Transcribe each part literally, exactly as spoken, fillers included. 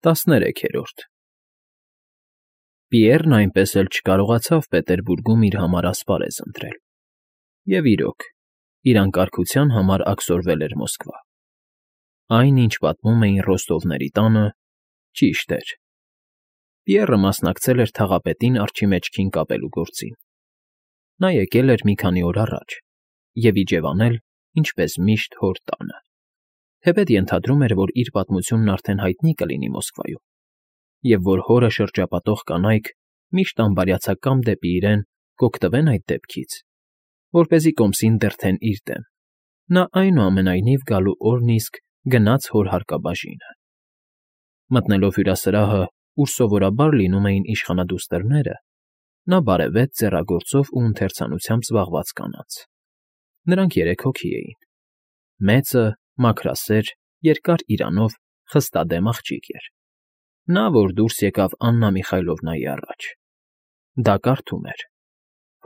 ՏԱՍՆԵՐEՔԵՐՈՐԴ Պիեռն այնպես էլ չկարողացավ Պետերբուրգում իր համար ասպարեզ ընտրել, և, իրոք, իր անկարգության համար աքսորվել էր Մոսկվա. այն, ինչ պատմում էին Ռոստովների տանը, ճիշտ էր. Պիեռը մասնակցել էր թաղապետին արջի մեջքին կապելու գործին. նա եկել էր մի քանի օր առաջ և իջևանել, ինչպես միշտ, հոր տանը, թեպետ ենթադրում էր, որ իր պատմությունն արդեն հայտնի կլինի Մոսկվայում, և որ հորը շրջապատող կանայք միշտ անբարյացակամ դեպի իրեն կօգտվեն այդ դեպքից, որպեսզի կոմսին դրդեն իր դեմ, նա, այնուամենայնիվ, գալու օրն իսկ գնաց հոր հարկաբաժինը. մտնելով հյուրասրահը, ուր սովորաբար լինում էին իշխանադուստրները, նա բարևեց ձեռագործով ու ընթերցանությամբ զբաղված կանանց. նրանք երեք հոգի էին. մեծը, մաքրասեր, երկար իրանով, խստադեմ աղջիկ էր, նա, որ դուրս եկավ Աննա Միխայլովնայի առաջ. դա կարդում էր.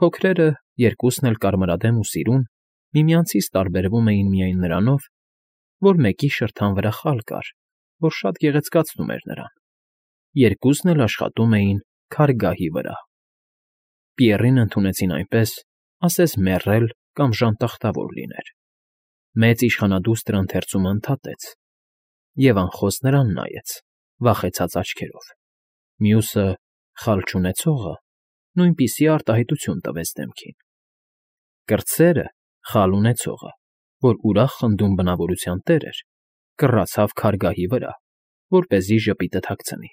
փոքրերը, երկուսն էլ կարմրադեմ ու սիրուն, միմյանցից տարբերվում էին միայն նրանով, որ մեկի շրթան վրա խալ կար, որ շատ գեղեցկացնում էր նրան, երկուսն էլ աշխատում էին քարգահի վրա. Պիեռին ընդունեցին այնպես, ասես մեռել կամ ժանտախտավոր լիներ. մեծ իշխանադուստրը ընթերցումը ընդհատեց և անխոս նրան նայեց վախեցած աչքերով, մյուսը՝ խալ չունեցողը, նույնպիսի արտահայտություն տվեց դեմքին. կրտսերը՝ խալ ունեցողը, որ ուրախ խնդուն բնավորության տեր էր, կռացավ քարգահի վրա, որպեսզի ժպիտը թաքցնի.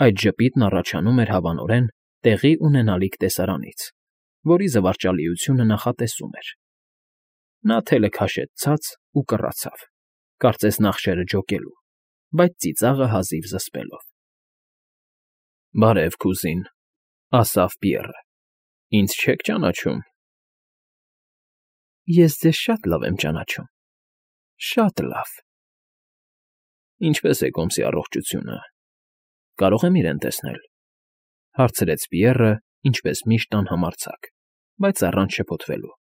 այդ ժպիտն առաջանում էր, հավանորեն, տեղի ունենալիք տեսարանից, որի զվարճալիությունը նախատեսում էր. նա թելը քաշեց ցած ու կռացավ, կարծես նախշերը ջոկելու, բայց ծիծաղը հազիվ զսպելով։ ֊ Բարև, կուզին, ֊ ասավ Պիեռը, ֊ ինձ չե՞ք ճանաչում։ ֊ Ես ձեզ շատ լավ եմ ճանաչում, շատ լավ։ ֊ Ինչպե՞ս է կոմսի առողջությունը, կարո՞ղ եմ իրեն տեսնել, ֊ հարցրեց Պիեռը, ինչպես միշտ անհամարձակ, բայց առանց շփոթվելու։ ֊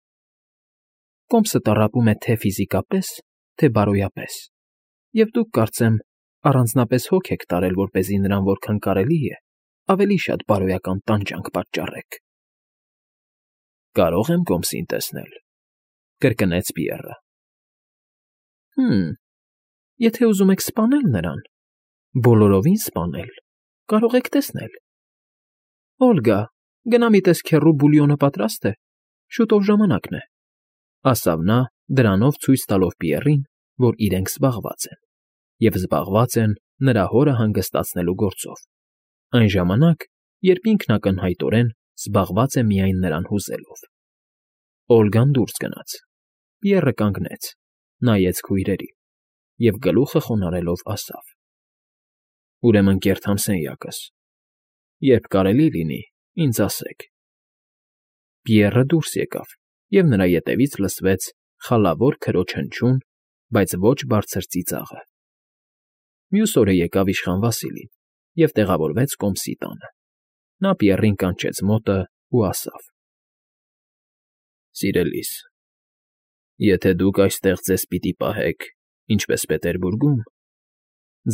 Կոմսը տառապում է թե՛ ֆիզիկապես, թե՛ բարոյապես, և դուք, կարծեմ, առանձնապես հոգ եք տարել, որպեսզի նրան որքան կարելի է ավելի շատ բարոյական տանջանք պատճառեք։ ֊ Կարո՞ղ եմ կոմսին տեսնել, ֊ կրկնեց Պիեռը։ ֊ Հը՛մ, եթե ուզում եք սպանել նրան, բոլորովին սպանել, կարող եք տեսնել։ ֊ Օլգա, գնա մի տես քեռու բուլյոնը պատրաստ է, շուտով ժամանակն է, ֊ ասավ նա, դրանով ցույց տալով Պիեռին, որ իրենք զբաղված են, և զբաղված են նրա հորը հանգստացնելու գործով, այն ժամանակ, երբ ինքն ակնհայտորեն զբաղված է միայն նրան հուզելով։ Օլգան դուրս գնաց, Պիեռը կանգնեց, նայեց քույրերին և գլուխը խոնարհելով ասավ. ֊ Ուրեմն կերթամ սենյակս, երբ կարելի լինի, ինձ ասեք։ Պիեռը դուրս եկավ, և նրա ետևից լսվեց խալավոր քրոջ հնչյուն, բայց ոչ բարձր ծիծաղը։ Մյուս օրը եկավ իշխան Վասիլին և տեղավորվեց կոմսի տանը. նա Պիեռին կանչեց մոտը ու ասավ. ֊ Սիրելիս, եթե դուք այստեղ ձեզ պիտի պահեք, ինչպես Պետերբուրգում,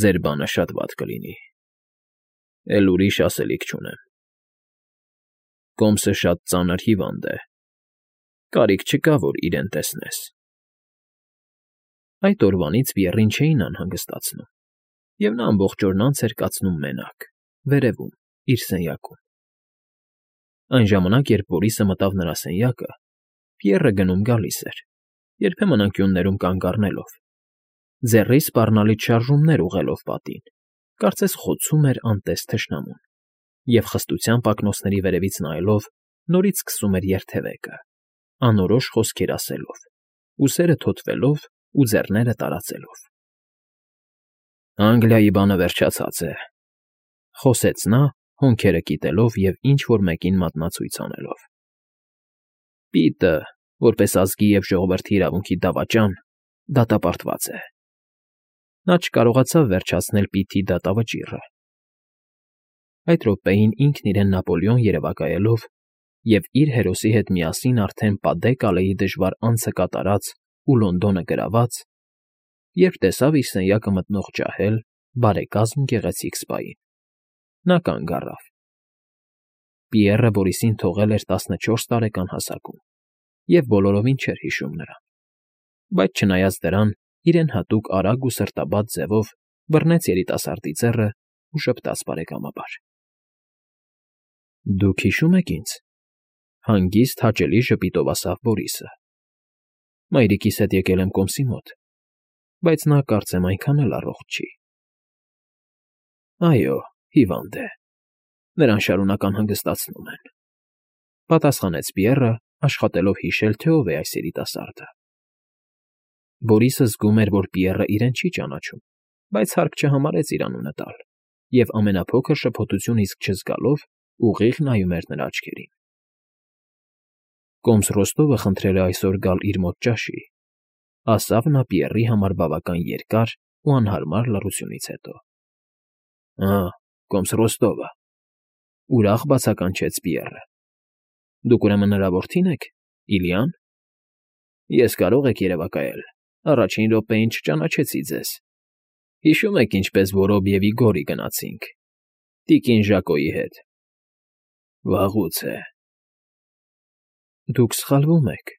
ձեր բանը շատ վատ կլինի, էլ ուրիշ ասելիք չունեմ։ Կոմսը շատ ծանր հիվանդ է, կարիք չկա, որ իրեն տեսնես։ Այդ օրվանից Պիեռին չէին անհանգստացնում, և նա ամբողջ օրն անց էր կացնում մենակ, վերևում, իր սենյակում։ Այն ժամանակ, երբ Բորիսը մտավ նրա սենյակը, Պիեռը գնում֊գալիս էր, երբեմն անկյուններում կանգ առնելով, ձեռի սպառնալից շարժումներ ուղղելով պատին, կարծես խոցում էր անտես թշնամուն, և խստությամբ ակնոցների վերևից նայելով նորից սկսում էր երթևեկը, անորոշ խոսքեր ասելով, ուսերը թոթվելով ու ձեռները տարածելով։ ֊ Անգլիայի բանը վերջացած է, ֊ խոսեց նա, հոնքերը կիտելով և ինչ֊որ մեկին մատնացույց անելով։ ֊ Պիտը, որպես ազգի և ժողովրդի իրավունքի դավաճան, դատապարտված է։ Նա չկարողացավ վերջացնել պիթի դատավճիռը։ Այդ րոպեին ինքն իրեն Նապոլեոն երևակայելով և իր հերոսի հետ միասին արդեն Պադե Կալեի դժվար անցը կատարած ու Լոնդոնը գրաված, երբ տեսավ իր սենյակը մտնող ջահել, բարեկազմ գեղեցիկ սպային։ Նա կանգ առավ։ Պիեռը Բորիսին թողել էր տասնչորս տարեկան հասակում և բոլորովին չէր հիշում նրան, բայց չնայած դրան, իրեն հատուկ արագ ու սրտաբաց ձևով բռնեց երիտասարդի ձեռն ու ժպտաց բարեկամաբար. ֊ Դուք հիշո՞ւմ եք ինձ,֊ հանգիստ, հաճելի ժպիտով ասաց Բորիսը։ Մայրիկիս հետ եկել եմ կոմսի մոտ, բայց նա, կարծեմ, այնքան էլ առողջ չի։ ֊ Այո, հիվանդ է, նրան շարունակ անհանգստացնում են,֊ պատասխանեց Պիեռը, աշխատելով հիշել, թե ով է այս երիտասարդը։ Բորիսը զգում էր, որ Պիեռը իրեն չի ճանաչում, բայց հարկ չհամարեց իր անունը տալ և ամենափոքր շփոթություն իսկ չզգալով ուղիղ նայում էր նրա աչքերին։ ֊ Կոմս Ռոստովը խնդրել է այսօր գալ իր մոտ ճաշի,֊ ասավ նա Պիեռի համար բավական երկար ու անհարմար լռությունից հետո։ ֊ Ա՜, կոմս Ռոստովը,֊ ուրախ բացականչեց Պիեռը։ Դուք ուրեմն նրա որդին եք, Իլիա՞ն։ Ես, կարող եք երևակայել, առաջին րոպեին չճանաչեցի ձեզ։ Հիշո՞ւմ եք, ինչպես Որոբիևի գորի գնացինք, տիկին Ժակոյի հետ։ Վաղուց է։ Դուք սխալվում եք,֊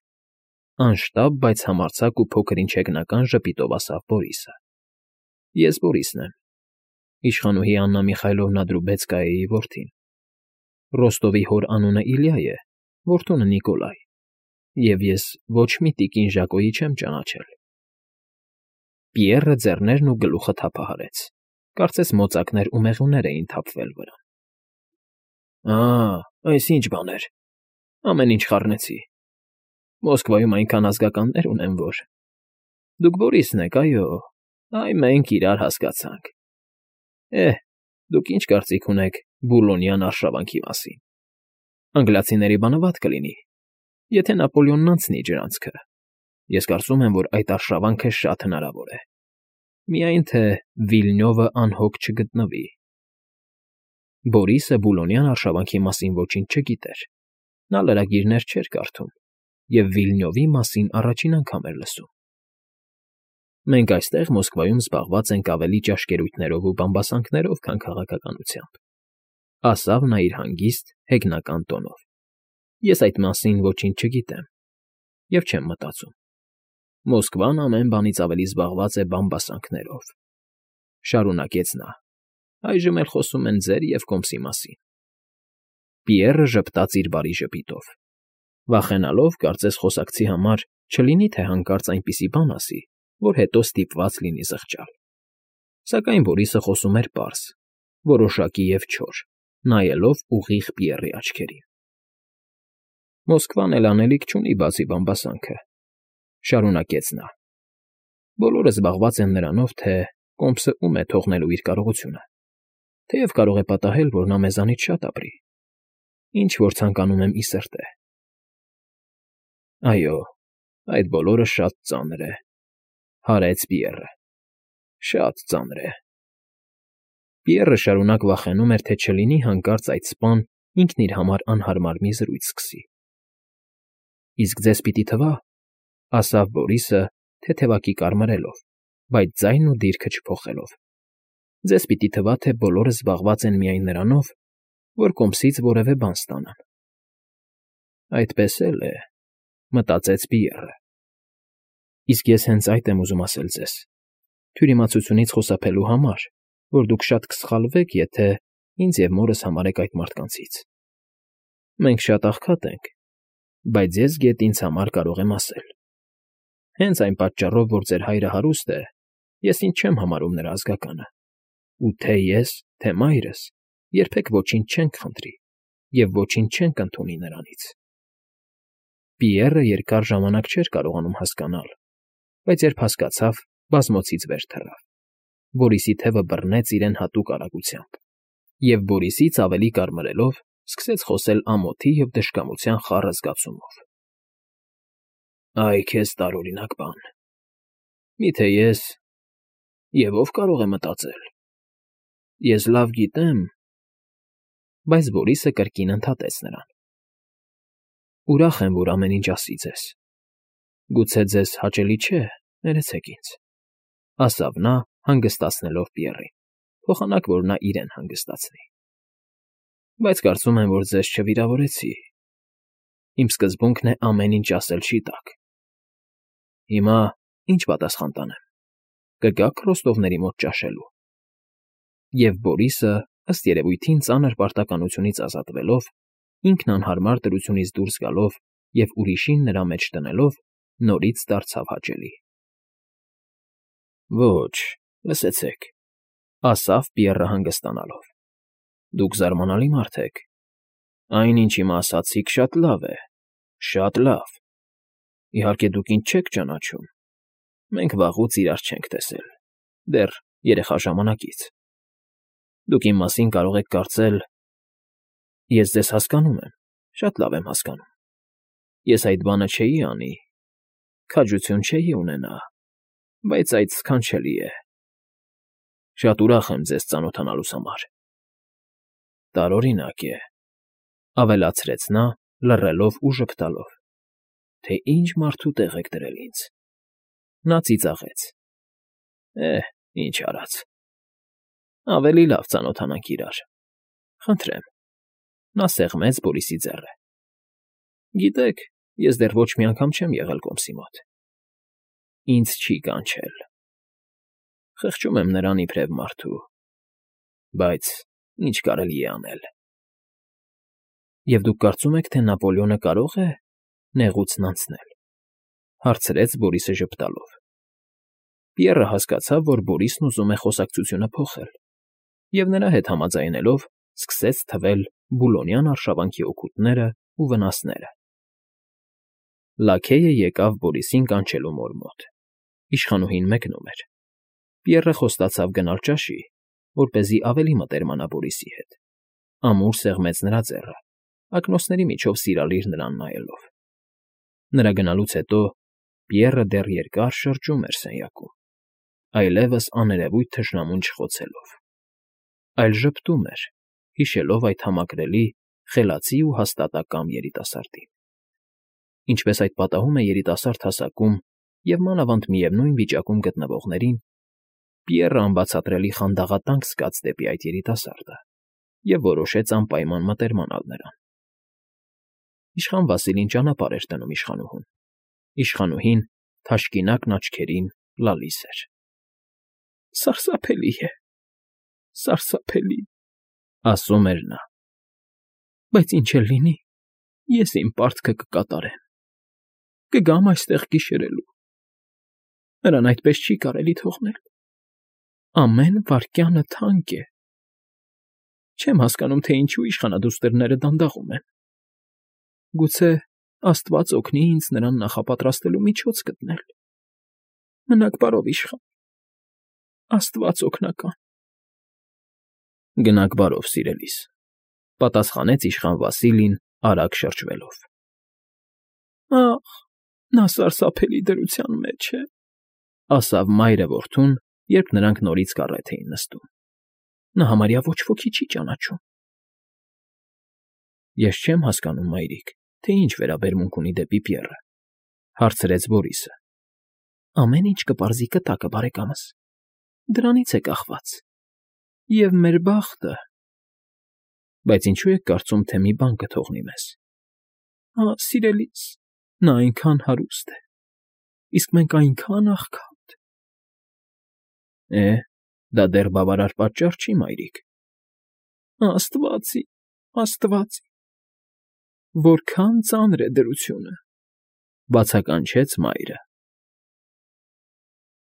անշտապ, բայց համարձակ ու փոքր֊ինչ հեգնական ժպիտով ասաց Բորիսը։ Ես Բորիսն եմ, իշխանուհի Աննա Միխայլովնա Դրուբեցկայայի որդին։ Ռոստովի հոր անունը Իլյա է, որդունը՝ Նիկոլայ, և ես ոչ մի տիկին Ժակոյի չեմ ճանաչել։ Պիեռը ձեռներն ու գլուխը թափահարեց, կարծես մոծակներ ու մեղուներ էին թափվել վրան։ Ա՜, այս ինչ բաներ, ամեն ինչ խառնեցի։ Մոսկվայում այնքան ազգականներ ունեմ, որ… Դուք Բորիսն եք, այո, այ մենք իրար հասկացանք։ Էհ, դուք ինչ կարծիք ունեք Բուլոնյան արշավանքի մասին։ Անգլիացիների բանը վատ կլինի, եթե Նապոլեոնն անցնի ջրանցքը։ Ես կարծում եմ, որ այդ արշավանքը շատ հնարավոր է։ Միայն թե Վիլնյովը անհոգ չգտնվի։ Բորիսը Բուլոնյան արշավանքի մասին ոչինչ չգիտեր։ Նա լրագիրներ չէր կարդում և Վիլնյովի մասին առաջին անգամ էր լսում։ Մենք այստեղ Մոսկվայում զբաղված ենք ավելի ճաշկերույթներով ու բամբասանքներով, քան քաղաքականությամբ,֊ ասավ նա իր հանգիստ, հեգնական տոնով։ Ես այդ մասին ոչինչ չգիտեմ և չեմ մտածում։ Մոսկվան ամեն բանից ավելի զբաղված է բամբասանքներով,֊ շարունակեց նա։ Այժմ էլ խոսում են ձեր և կոմսի մասին։ Պիեռը ժպտաց իր բարի ժպիտով, վախենալով, կարծես խոսակցի համար չլինի թե հանկարծ այնպիսի բան ասի, որ հետո ստիպված լինի զղջալ։ Սակայն Բորիսը խոսում էր պարզ, որոշակի և չոր, նայելով ուղիղ Պիեռի աչքերին։ Մոսկվան էլ անելիք չունի բացի բամբասանքը,֊ շարունակեց նա։ Բոլորը զբաղված են նրանով, թե կոմսը ում է թողնելու իր կարողությունը, թեև կարող է պատահել, որ նա մեզանից շատ ապրի, ինչ որ ցանկանում եմ ի սրտե։ Այո, այդ բոլորը շատ ծանր է,֊ հարեց Պիեռը,֊ շատ ծանր է։ Պիեռը շարունակ վախենում էր, թե չլինի հանկարծ այդ սպան ինքն իր համար անհարմար մի զրույց սկսի։ Իսկ ձեզ պիտի թվա,֊ ասավ Բորիսը, թեթևակի կարմրելով, բայց ձայնն ու դիրքը չփոխելով,֊ ձեզ պիտի թվա, թե բոլորը զբաղված են միայն նրանով, որ կոմսից որևէ բան ստանան։ Այդպես էլ է,֊ մտածեց Պիեռը։ Իսկ ես հենց այդ եմ ուզում ասել ձեզ, թյուրիմացությունից խուսափելու համար, որ դուք շատ կսխալվեք, եթե ինձ և մորս համարեք այդ մարդկանցից։ Մենք շատ աղքատ ենք, բայց ես գեթ ինձ համար կարող եմ ասել։ Հենց այն պատճառով, որ ձեր հայրը հարուստ է, ես ինձ չեմ համարում նրա ազգականը, ու թե ես, թե մայրս երբեք ոչինչ չենք խնդրի և ոչինչ չենք ընդունի նրանից։ Պիեռը երկար ժամանակ չէր կարողանում հասկանալ, բայց երբ հասկացավ, բազմոցից վեր թռավ։ Բորիսի թևը բռնեց իրեն հատուկ արագությամբ, և Բորիսից ավելի կարմրելով սկսեց խոսել ամոթի և դժկամության խառը զգացումով։ Այ քեզ տարօրինակ բան։ Միթե ես… Եվ ով կարող է մտածել… Ես լավ գիտեմ… Բայց Բորիսը կրկին ընդհատեց նրան. Ուրախ եմ, որ ամեն ինչ ասի ձեզ։ Գուցե ձեզ հաճելի չէ, ներեցեք ինձ,֊ ասավ նա, հանգստացնելով Պիեռին։ փոխանակ, որ նա իրեն հանգստացնի։ Բայց կարծում եմ, որ ձեզ չվիրավորեցի։ Իմ սկզբունքն է ամեն ինչ ասել չի տակ։ Հիմա ի՞նչ պատասխան տանեմ։ Կգա՞ք Ռոստովների մոտ ճաշելու։ Եվ Բորիսը, ըստ երևույթին ծանր պարտականությունից ազատվելով, ինքն անհարմար դրությունից դուրս գալով և ուրիշին նրա մեջ դնելով, նորից դարձավ հաճելի։ Ոչ, լսեցեք,֊ ասավ Պիեռը հանգստանալով։ Դուք զարմանալի մարդ եք։ Այն, ինչ հիմա ասացիք, շատ լավ է, շատ լավ։ Իհարկե, դուք ինձ չեք ճանաչում։ Մենք վաղուց իրար չենք տեսել, դեռ երեխա ժամանակից։ Դուք իմ մասին կարող եք կարծել… Ես ձեզ հասկանում եմ, շատ լավ եմ հասկանում։ Ես այդ բանը չէի անի, քաջություն չէի ունենա, բայց այդ սքանչելի է։ Շատ ուրախ եմ ձեզ ծանոթանալուս համար։ Տարօրինակ է,֊ ավելացրեց նա, լռելով ու ժպտալով,֊ թե ինչ մարդու տեղ եք դրել ինձ։ Նա ծիծաղեց։ Է՛հ, ինչ արած։ Ավելի լավ ծանոթանանք իրար։ Խնդրեմ։ Նա սեղմեց Բորիսի ձեռքը։ Գիտեք, ես դեռ ոչ մի անգամ չեմ եղել կոմսի մոտ։ Ինձ չի կանչել։ Խղճում եմ նրան իբրև մարդու, բայց ինչ կարելի է անել։ Եվ դուք կարծում եք, թե Նապոլեոնը կարող է նեղուցն անցնել,֊ հարցրեց Բորիսը ժպտալով։ Պիեռը հասկացավ, որ Բորիսն ուզում է խոսակցությունը փոխել, և նրա հետ համաձայնելով սկսեց թվել Բուլոնյան արշավանքի օգուտներն ու վնասները։ Լաքեյը եկավ Բորիսին կանչելու մոր մոտ։ Իշխանուհին մեկնում էր։ Պիեռը խոստացավ գնալ ճաշի, որպեսզի ավելի մտերմանա Բորիսի հետ։ Ամուր սեղմեց նրա ձեռքը, ակնոցների միջով սիրալիր նրան նայելով։ Նրա գնալուց հետո Պիեռը դեռ երկար շրջում էր սենյակում, այլևս աներևույթ թշնամուն չխոցելով, այլ ժպտում էր, հիշելով այդ համակրելի, խելացի ու հաստատակամ երիտասարդին։ Ինչպես այդ պատահում է երիտասարդ հասակում և մանավանդ միևնույն վիճակում գտնվողներին, Պիեռը անբացատրելի խանդաղատանք զգաց դեպի այդ երիտասարդը և որոշեց անպայման մտերմանալ նրան։ Իշխան Վասիլին ճանապարհ էր դնում իշխանուհուն։ Իշխանուհին թաշկինակն աչքերին լալիս էր։ Սարսափելի է, սարսափելի,֊ ասում էր նա։ Բայց ինչ էլ լինի, ես իմ պարտքը կկատարեմ։ Կգամ այստեղ գիշերելու։ Նրան այդպես չի կարելի թողնել։ Ամեն վայրկյանը թանկ է։ Չեմ հասկանում, թե ինչու իշխանադուստրները դանդաղում են։ Գուցե աստված օգնի ինձ նրան նախապատրաստելու միջոց գտնել։ Մնաք բարով, իշխան… Աստված օգնական… Գնաք բարով, սիրելիս,֊ պատասխանեց իշխան Վասիլին արագ շրջվելով։ Ա՜խ, նա սարսափելի դրության մեջ է,֊ ասավ մայրը որդուն, երբ նրանք նորից կառետ էին նստում։ Նա համարյա ոչ ոքի չի ճանաչում։ Ես չեմ հասկանում, մայրիկ, թե ինչ վերաբերմունք ունի դեպի Պիեռը,֊ հարցրեց Բորիսը։ Ամեն ինչ կպարզի կտակը, բարեկամս։ Դրանից է կախված։ Եվ մեր բախտը… Բայց ինչու եք կարծում, թե մի բան կթողնի մեզ։ Ահ, սիրելիս, նա այնքան հարուստ է, իսկ մենք այնքան աղքատ… Է, դա դեռ բավարար պատճառ չի, մայրիկ։ Աստվածի, աստվածի… Որքան ծանր է դրությունը,֊ բացականչեց մայրը։